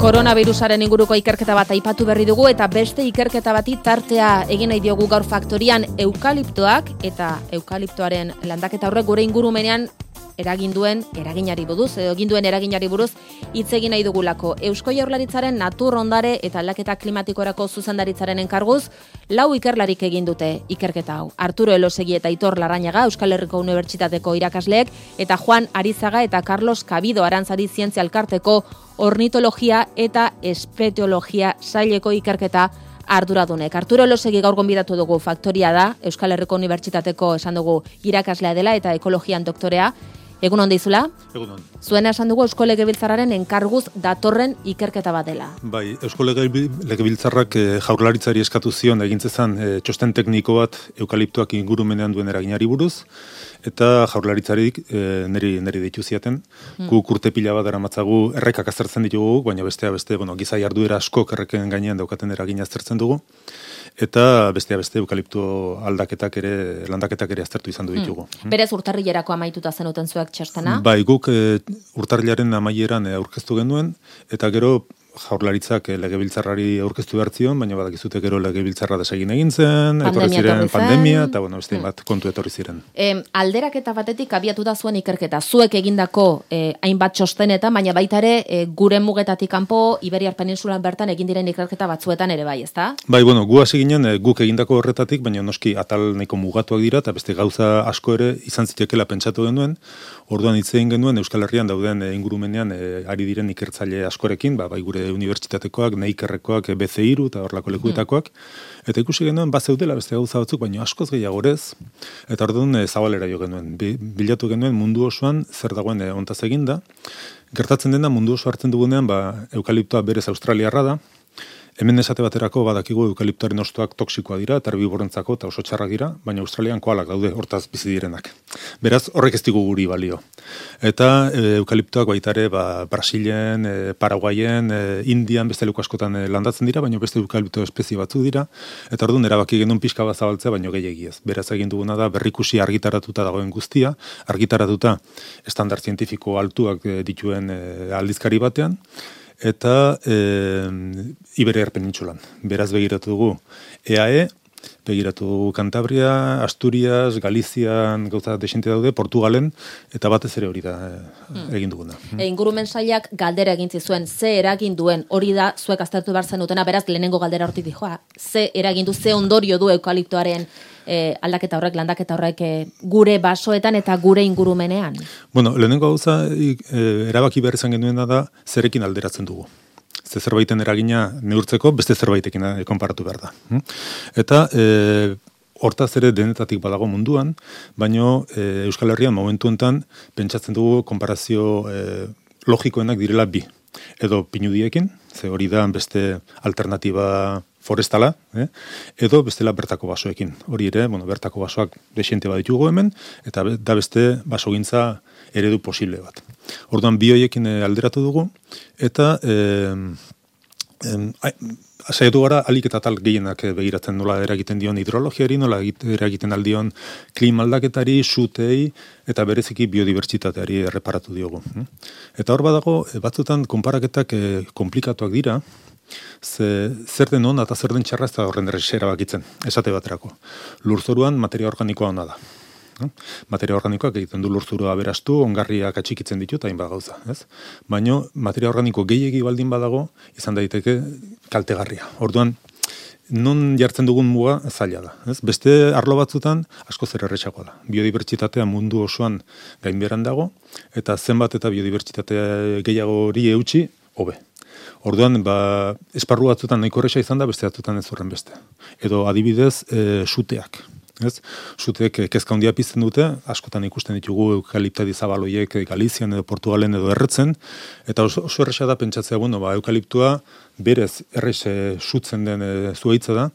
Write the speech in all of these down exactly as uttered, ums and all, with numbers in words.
Koronavirusaren inguruko ikerketa bat aipatu berri dugu eta beste ikerketa bati tartea egin nahi diogu gaur faktorian eukaliptoak eta eukaliptoaren landaketa horrek gure ingurumenean eragin duen eraginari buruz, edo egin duen eraginari buruz hitz egin nahi dugulako. Eusko Jaurlaritzaren natur ondare eta aldaketa klimatikorako zuzendaritzaren enkarguz, lau ikerlarik egin dute ikerketa hau. Arturo Elosegi eta Aitor Larrañaga, Euskal Herriko Unibertsitateko irakasleek, eta Juan Arizaga eta Carlos Cabido Arantzadi Zientzia Elkarteko ornitologia eta espeteologia saileko ikerketa arduradunek. Arturo Elosegi gaur gonbidatu dugu faktoria da, Euskal Herriko Unibertsitateko esan dugu irakaslea dela eta ekologian doktorea. Egun on deizula? Egun on. Zuena esan dugu Eusko Legebiltzarraren enkarguz datorren ikerketa bat dela. Bai, Eusko Legebiltzarrak e, Jaurlaritzari eskatu zion egintzezan e, txosten tekniko bat eukaliptoak ingurumenean duen eraginari buruz, eta Jaurlaritzarik e, neri, neri ditu ziaten. Hmm. Guk urte pila bat eramatzagu errekak aztertzen ditugu, baina bestea beste, bueno, giza jarduera askok erreken gainean daukaten eragina aztertzen dugu. Eta bestea beste eukalipto aldaketak ere, landaketak ere aztertu izan du ditugu. Hmm. Berez urtarrilerako amaituta zenuten zuek txostena? Bai, guk e, urtarrilaren amaieran e, aurkeztu genuen, eta gero Jaurlaritzak e, legebiltzarrari aurkeztu behartzion, baina badakizute gero legebiltzarra desegin egin zen, etorri ziren pandemia, eta bueno, beste bat kontu etorri ziren. E, alderaketa batetik abiatu da zuen ikerketa, zuek egindako e, hainbat txostenetan, baina baita ere e, gure mugetatik kanpo Iberiar Peninsulan bertan egin diren ikerketa batzuetan ere bai, ezta? Bai, bueno, gu hasi ginen e, guk egindako horretatik, baina noski atal nahiko mugatuak dira, eta beste gauza asko ere izan zitekeela pentsatu genuen, orduan hitz egin genuen Euskal Herrian dauden e, ingurumenean e, ari diren ikertzaile askorekin, ba, bai gure unibertsitatekoak, neikerrekoak, B C hiru eta horlako lekuetakoak, eta ikusi genuen bat zeudela beste gauza batzuk, baina askoz gehiagorez, eta orduan e, zabalera jo genuen. Bilatu genuen mundu osoan zer dagoen e, ontaz eginda. Gertatzen dena mundu oso hartzen dugunean, ba, eukaliptoa berez australiarra da. Hemen esate baterako badakigu eukaliptoaren hostoak toksikoa dira, eta herbiborentzako eta oso txarrak dira, baina Australian koalak daude hortaz bizi direnak. Beraz, horrek ez digu guri balio. Eta e, eukaliptoak baita ere ba, Brasilen, e, Paraguayen, e, Indian, beste leku askotan e, landatzen dira, baina beste eukalipto espezie batzu dira, eta orduan erabaki genuen pixka bat zabaltzea, baino gehiegi ez. Beraz egin duguna da berrikusi argitaratuta dagoen guztia, argitaratuta estandar zientifiko altuak e, dituen e, aldizkari batean, eta e, Iberiar Penintsulan. Beraz begiratu dugu E A E, begiratu dugu Cantabria, Asturias, Galizian, gauza desente daude, Portugalen, eta batez ere hori da hmm. egin duguna. E, ingurumen sailak galdera egin zizuen, ze eragin duen, hori da zuek aztertu behar zenutena, beraz lehenengo galdera hortik dijoa, ze eragin du, ze ondorio du eukaliptoaren E, aldaketa horrek, landaketa horrek e, gure basoetan eta gure ingurumenean? Bueno, lehenengo gauza e, erabaki behar izan genuena da zerekin alderatzen dugu. Ze zerbaiten eragina neurtzeko beste zerbaitekin e, konparatu behar da. Eta e, hortaz ere denetatik badago munduan, baino e, Euskal Herrian momentu enten pentsatzen dugu konparazio e, logikoenak direla bi. Edo pinudiekin, ze hori da beste alternatiba forestala, eh? Edo bestela bertako basoekin. Hori ere, bueno, bertako basoak desiente baditugu hemen, eta da beste basogintza eredu posible bat. Orduan bi hoiekin alderatu dugu, eta eh, eh, saiatu gara alik eta tal gehienak begiratzen nola eragiten dion hidrologiari, nola eragiten aldion klima aldaketari, sutei, eta bereziki biodibertsitateari erreparatu diogu. Eta hor badago, batzutan konparaketak eh, komplikatuak dira, Ze, zer den hona eta zer den txarra ez da horren errexera bakitzen, esate baterako. Lurzoruan materia organikoa hona da. No? Materia organikoak egiten du lurzurua aberastu, ongarriak atxikitzen ditu eta hainbat gauza. Ez? Baina materia organiko gehiegi baldin badago, izan daiteke kaltegarria. Orduan, non jartzen dugun muga zaila da. Ez? Beste arlo batzutan asko zer errexagoa da. Biodibertsitatea mundu osoan gainbeheran dago, eta zenbat eta biodibertsitatea gehiago hori eutxi, hobe. Orduan, ba, esparru batzutan nahiko erresa izan da, beste batzutan ez horren beste. Edo adibidez, e, suteak. Ez? Suteek kezka handia pizten dute, askotan ikusten ditugu eukaliptadi zabaloiek Galizian edo Portugalen edo erretzen, eta oso, oso erresa da pentsatzea, bueno, ba, eukaliptua berez errese sutzen den e, zuaitza da,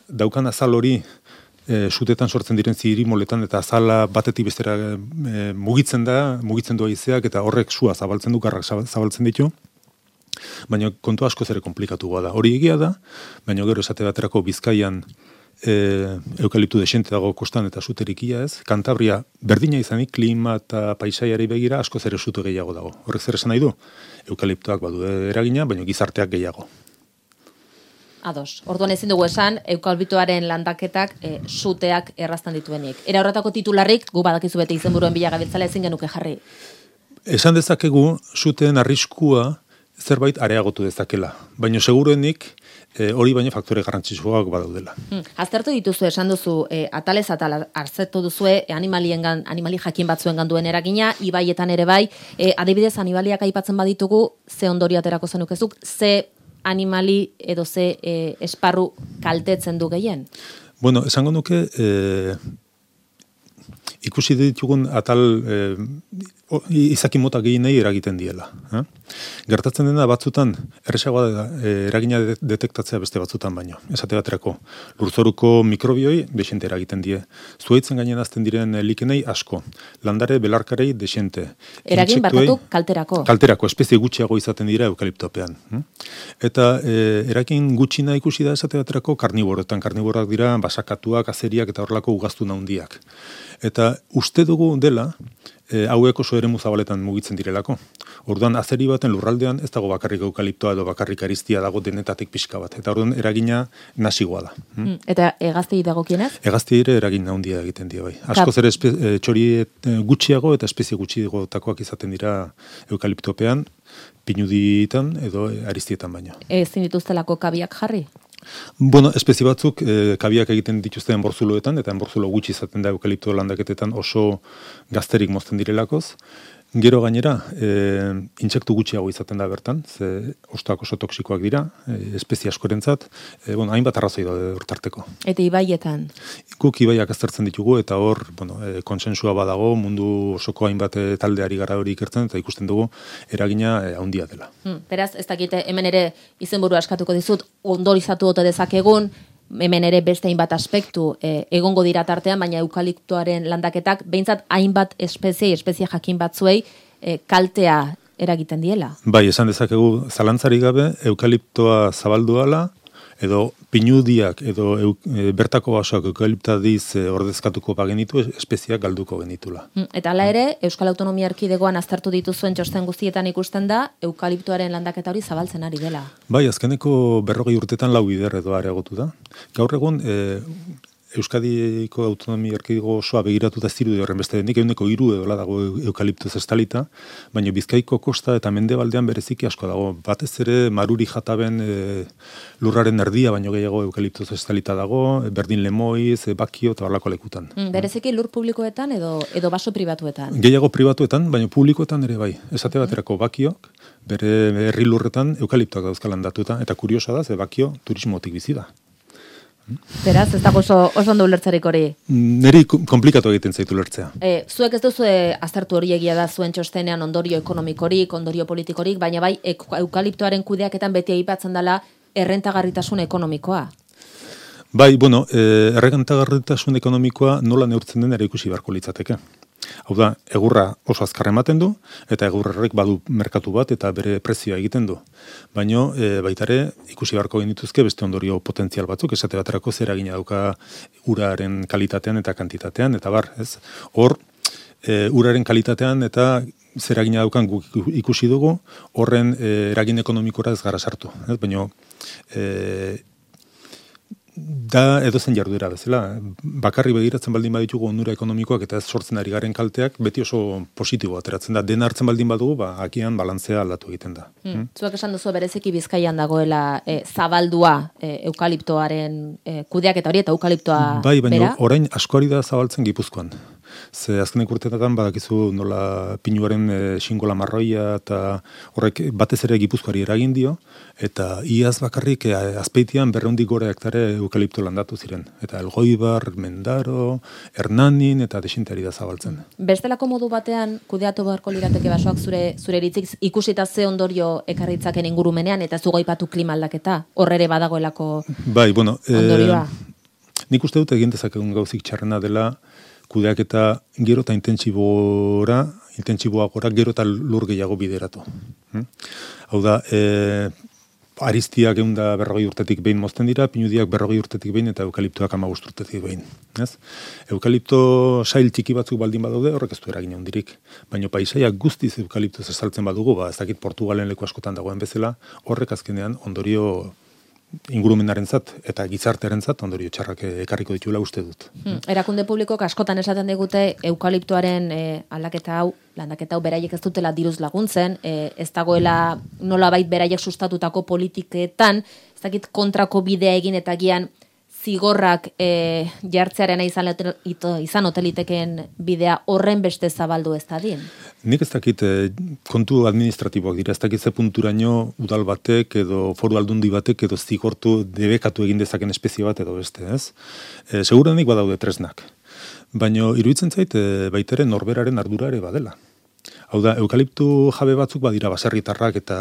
daukan azal hori e, sutetan sortzen diren zirimoletan, eta azala batetik bestera e, mugitzen da, mugitzen du haizeak, eta horrek sua zabaltzen du, garrak zabaltzen ditu, baina kontu asko zere komplikatu da. Hori egia da, baina gero esate baterako Bizkaian e, eukaliptu desente dago kostan eta suterik ia ez, Kantabria berdina izanik klima eta paisaiari begira asko ere sute gehiago dago. Horrek zer esan nahi du? Eukaliptoak badu eragina, baina gizarteak gehiago. Ados. Orduan ezin dugu esan, eukaliptoaren landaketak e, suteak erraztan dituenik. Era horretako titularrik, gu badakizu bete izenburuen bila gabiltzala ezin genuke jarri. Esan dezakegu, suteen arriskua zerbait areagotu dezakela. Baina seguruenik, e, hori baina faktore garrantzitsuak badaudela. Hmm. Aztertu dituzu, esan duzu, e, atalez atal hartzetu duzue, e, animaliengan, animali jakin batzuengan duen eragina, ibaietan ere bai, e, adibidez animaliak aipatzen baditugu, ze ondorio aterako zenukezuk, ze animali edo ze e, esparru kaltetzen du gehien? Bueno, esango nuke, e, ikusi ditugun atal e, izaki mota gehienei eragiten diela. Eh? Gertatzen dena batzutan, erresagoa da e, eragina detektatzea beste batzutan baino. Esate baterako, lurzoruko mikrobioi desente eragiten die. Zuaitzen gainen azten diren likenei asko. Landare belarkarei desente. Eragin barkatu kalterako. Kalterako, espezie gutxiago izaten dira eukaliptopean. Hm? Eta e, eragin gutxina ikusi da esate baterako karniboroetan. Karniborak dira basakatuak, azeriak eta horrelako ugaztu handiak. Eta uste dugu dela, e, hauek oso eremu zabaletan mugitzen direlako. Orduan, azeri baten lurraldean ez dago bakarrik eukaliptoa edo bakarrik aristia dago denetatik pixka bat. Eta orduan, eragina nasigoa da. Hmm? Eta egaztei dagokienez? Egaztei ere eragin handia egiten die bai. Askoz ere e, txori e, gutxiago eta espezie gutxiagotakoak izaten dira eukaliptopean, pinuditan edo aristietan baino. Ezin dituztelako kabiak jarri? Bueno, espezie batzuk e, kabiak egiten dituzte enborzuloetan, eta enborzulo gutxi izaten da eukalipto landaketetan oso gazterik mozten direlakoz. Gero gainera, e, intsektu gutxiago izaten da bertan, ze hostoak oso toksikoak dira, e, espezie askorentzat, e, bueno, hainbat arrazoi da hortarteko. Eta ibaietan? Guk ibaiak aztertzen ditugu, eta hor, bueno, e, konsensua badago, mundu osoko hainbat e, taldeari gara hori ikertzen, eta ikusten dugu eragina e, handia dela. Hmm, beraz, ez dakite, hemen ere izenburua askatuko dizut, ondorizatu ote dezakegun, hemen ere beste hainbat aspektu e, egongo dira tartean, baina eukaliptoaren landaketak, behintzat hainbat espezie, espezie jakin batzuei e, kaltea eragiten diela. Bai, esan dezakegu zalantzari gabe, eukaliptoa zabaldu ala, edo pinudiak, edo eu, e, bertako basoak eukaliptadiz e, ordezkatuko bagenitu, espeziak galduko genitula. Eta hala ere, Euskal Autonomia Erkidegoan aztertu dituzuen txosten guztietan ikusten da, eukaliptoaren landaketa hori zabaltzen ari dela. Bai, azkeneko berrogei urtetan lau bider edo areagotu da. Gaur egun, e, Euskadiko Autonomia Erkidego osoa begiratuta ez dirudi horren beste denik, eguneko hiru edola dago eukaliptuz estalita, baina Bizkaiko kosta eta mendebaldean bereziki asko dago. Batez ere Maruri Jataben e, lurraren erdia, baino gehiago eukaliptuz estalita dago, Berdin Lemoiz, e, Bakio eta horlako lekutan. Mm, bereziki lur publikoetan edo edo baso pribatuetan? Gehiago pribatuetan, baina publikoetan ere bai. Esate baterako Bakiok, bere herri lurretan eukaliptoak dauzkalan datuta, eta kuriosa da, ze Bakio turismotik bizi da. Beraz, ez dago oso, oso ondo ulertzerik hori? Neri komplikatu egiten zaitu ulertzea. E, zuek ez duzu aztertu hori egia da zuen txostenean ondorio ekonomikorik, ondorio politikorik, baina bai eukaliptoaren kudeaketan beti aipatzen dela errentagarritasun ekonomikoa. Bai, bueno, e, errentagarritasun ekonomikoa nola neurtzen den ere ikusi beharko litzateke. Hau da, egurra oso azkar ematen du, eta egurrerrek badu merkatu bat eta bere prezioa egiten du. Baina e, baitare ikusi beharko genituzke beste ondorio potentzial batzuk, esate baterako zer eragina dauka uraren kalitatean eta kantitatean, eta bar, ez? Hor, e, uraren kalitatean eta zer eragina daukan guk ikusi dugu, horren e, eragin ekonomikora ez gara sartu. Ez? Baina, e, da edozen jarduera bezala. Bakarri begiratzen baldin baditugu onura ekonomikoak eta ez sortzen ari garen kalteak, beti oso positibo ateratzen da. Dena hartzen baldin badugu, ba, akian balantzea aldatu egiten da. Hmm. Hmm? Zuek esan duzu bereziki Bizkaian dagoela e, zabaldua e, eukaliptoaren e, kudeak eta hori eta eukaliptoa bai, baina bera? Orain askoari da zabaltzen Gipuzkoan. Ze azkenek urteetan badakizu nola pinuaren e, xingola marroia eta horrek batez ere Gipuzkoari eragin dio, eta iaz bakarrik e, azpeitian berreundik gora hektare eukalipto landatu ziren. Eta Elgoibar, Mendaro, Hernanin eta desintari da zabaltzen. Bestelako modu batean kudeatu beharko lirateke basoak zure zure iritzik ikusita ze ondorio ekarritzaken ingurumenean eta zu goipatu klima aldaketa. Hor ere badagoelako bai, bueno, ondorioa. E, nik uste dut egin dezakegun gauzik txarrena dela kudeaketa gero eta intentsibora, intentsiboagora gero eta lur gehiago bideratu. Hmm? Hau da, e, Aristiak eunda berrogei urtetik behin mozten dira, pinudiak berrogei urtetik behin eta eukaliptoak hamabost urtetik behin. Ez? Eukalipto sail txiki batzuk baldin badaude, horrek ez du eragin handirik. Baina paisaiak guztiz eukaliptoz estaltzen badugu, ba, ez dakit Portugalen leku askotan dagoen bezala, horrek azkenean ondorio ingurumenarentzat eta gizartearentzat ondorio txarrak ekarriko ditula uste dut. Hmm. Erakunde publikoak askotan esaten digute eukaliptoaren e, aldaketa hau, landaketa hau beraiek ez dutela diruz laguntzen, e, ez dagoela nolabait beraiek sustatutako politiketan, ez dakit kontrako bidea egin eta gian zigorrak e, jartzearena izan, izan oteliteken bidea horren beste zabaldu ez dadin? Nik ez dakit eh, kontu administratiboak dira, ez dakit ze punturaino udal batek edo foru aldundi batek edo zigortu debekatu egin dezaken espezie bat edo beste, ez? E, Segurenik badaude tresnak. Baina iruditzen zait e, baitere norberaren ardura ere badela. Hau da, eukaliptu jabe batzuk badira baserritarrak eta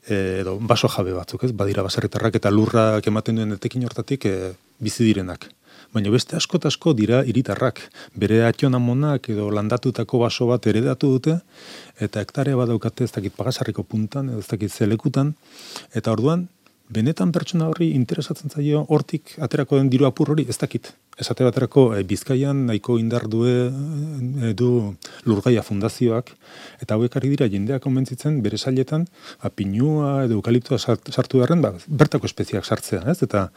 e, edo baso jabe batzuk, ez? Badira baserritarrak eta lurrak ematen duen etekin hortatik e, bizi direnak. Baina beste asko eta asko dira hiritarrak. Bere atxonamonak edo landatutako baso bat heredatu dute, eta hektarea badaukate ez dakit Pagasarriko puntan, edo ez dakit zelekutan, eta orduan, benetan pertsona horri interesatzen zaio hortik aterako den diru apur hori, ez dakit. Esate baterako e, Bizkaian nahiko indar due, e, du Lurgaia fundazioak, eta hauek ari dira jendeak konbentzitzen bere sailetan pinua edo eukaliptoa sartu beharren, ba, bertako espeziak sartzea, ez? Eta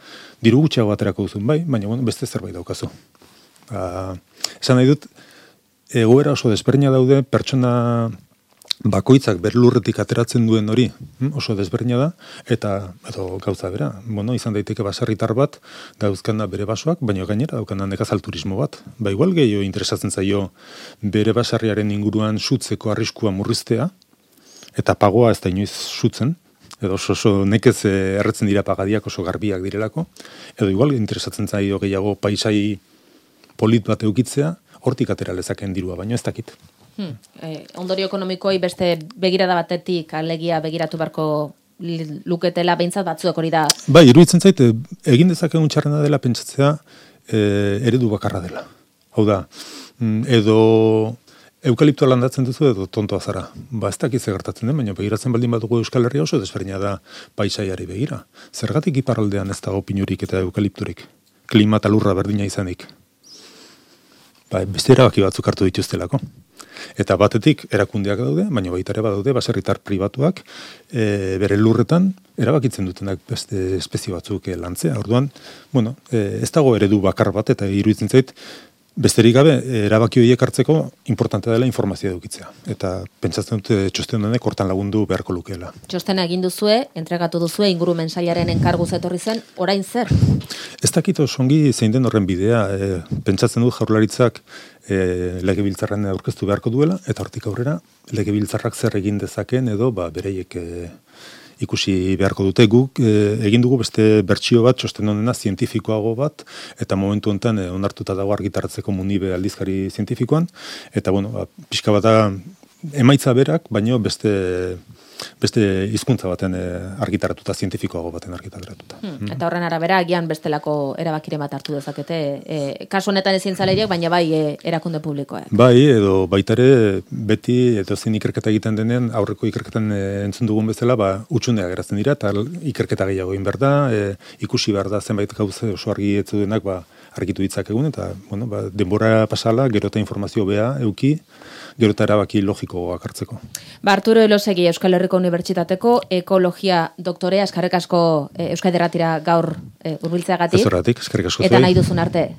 diru gutxiago aterako duzun bai, baina bueno, beste zerbait daukazu. Ba, esan nahi dut, egoera oso desberdina daude pertsona bakoitzak bere lurretik ateratzen duen hori oso desberdina da, eta edo gauza bera, bueno, izan daiteke baserritar bat dauzkana bere basoak, baina gainera daukana nekazal turismo bat. Ba igual gehiago interesatzen zaio bere baserriaren inguruan sutzeko arriskua murriztea, eta pagoa ez da inoiz sutzen, edo oso, oso nekez erretzen dira pagadiak oso garbiak direlako, edo igual interesatzen zaio gehiago paisai polit bat eukitzea, hortik atera lezaken dirua, baina ez dakit. Hmm. Eh, ondorio ekonomikoi beste begirada batetik alegia begiratu beharko luketela behintzat batzuek hori da. Bai, iruditzen zait, egin dezakegun txarrena dela pentsatzea e, eredu bakarra dela. Hau da, edo eukaliptoa landatzen duzu edo tontoa zara. Ba, ez dakit gertatzen den, baina begiratzen baldin badugu Euskal Herria oso desberdina da paisaiari begira. Zergatik iparraldean ez dago pinurik eta eukalipturik? Klima eta lurra berdina izanik. Ba, beste erabaki batzuk hartu dituztelako. Eta batetik erakundeak daude, baina baita ere badaude baserritar pribatuak e, bere lurretan erabakitzen dutenak beste espezie batzuk e, lantzea. Orduan, bueno, e, ez dago eredu bakar bat eta iruditzen zait besterik gabe erabaki horiek hartzeko importantea dela informazioa edukitzea. Eta pentsatzen dute txosten honek hortan lagundu beharko lukeela. Txostena egin duzue, entregatu duzue ingurumen sailaren enkarguz etorri zen, orain zer? Ez dakit osongi zein den horren bidea, e, pentsatzen dut Jaurlaritzak e, legebiltzarren aurkeztu beharko duela, eta hortik aurrera legebiltzarrak zer egin dezaken edo ba, bereiek e, ikusi beharko dute. Guk e, egin dugu beste bertsio bat, txosten honena zientifikoago bat, eta momentu honetan e, onartuta dago argitaratzeko Munibe aldizkari zientifikoan, eta bueno, ba, pixka bat da emaitza berak, baino beste beste hizkuntza baten e, argitaratuta, zientifikoago baten argitaratuta. Hmm, eta horren arabera, agian bestelako erabakiren bat hartu dezakete, e, kasu honetan ezin zaleiek, baina bai e, erakunde publikoa. Bai, edo baitare beti edo zein ikerketa egiten denean, aurreko ikerketan e, entzun dugun bezala, ba, utxunea geratzen dira, eta ikerketa gehiago egin behar da, e, ikusi behar da zenbait gauza oso argi etzu denak, ba, argitu ditzak egun, eta bueno, ba, denbora pasala, gero eta informazio bea, euki, gero eta erabaki logikoak hartzeko. Ba, Arturo Elosegi, Euskal Herriko Unibertsitateko ekologia doktorea, eskerrik asko e, Euskadi Irratira gaur e, hurbiltzeagatik. Ez horregatik, eskerrik asko zuei. Eta nahi duzun arte.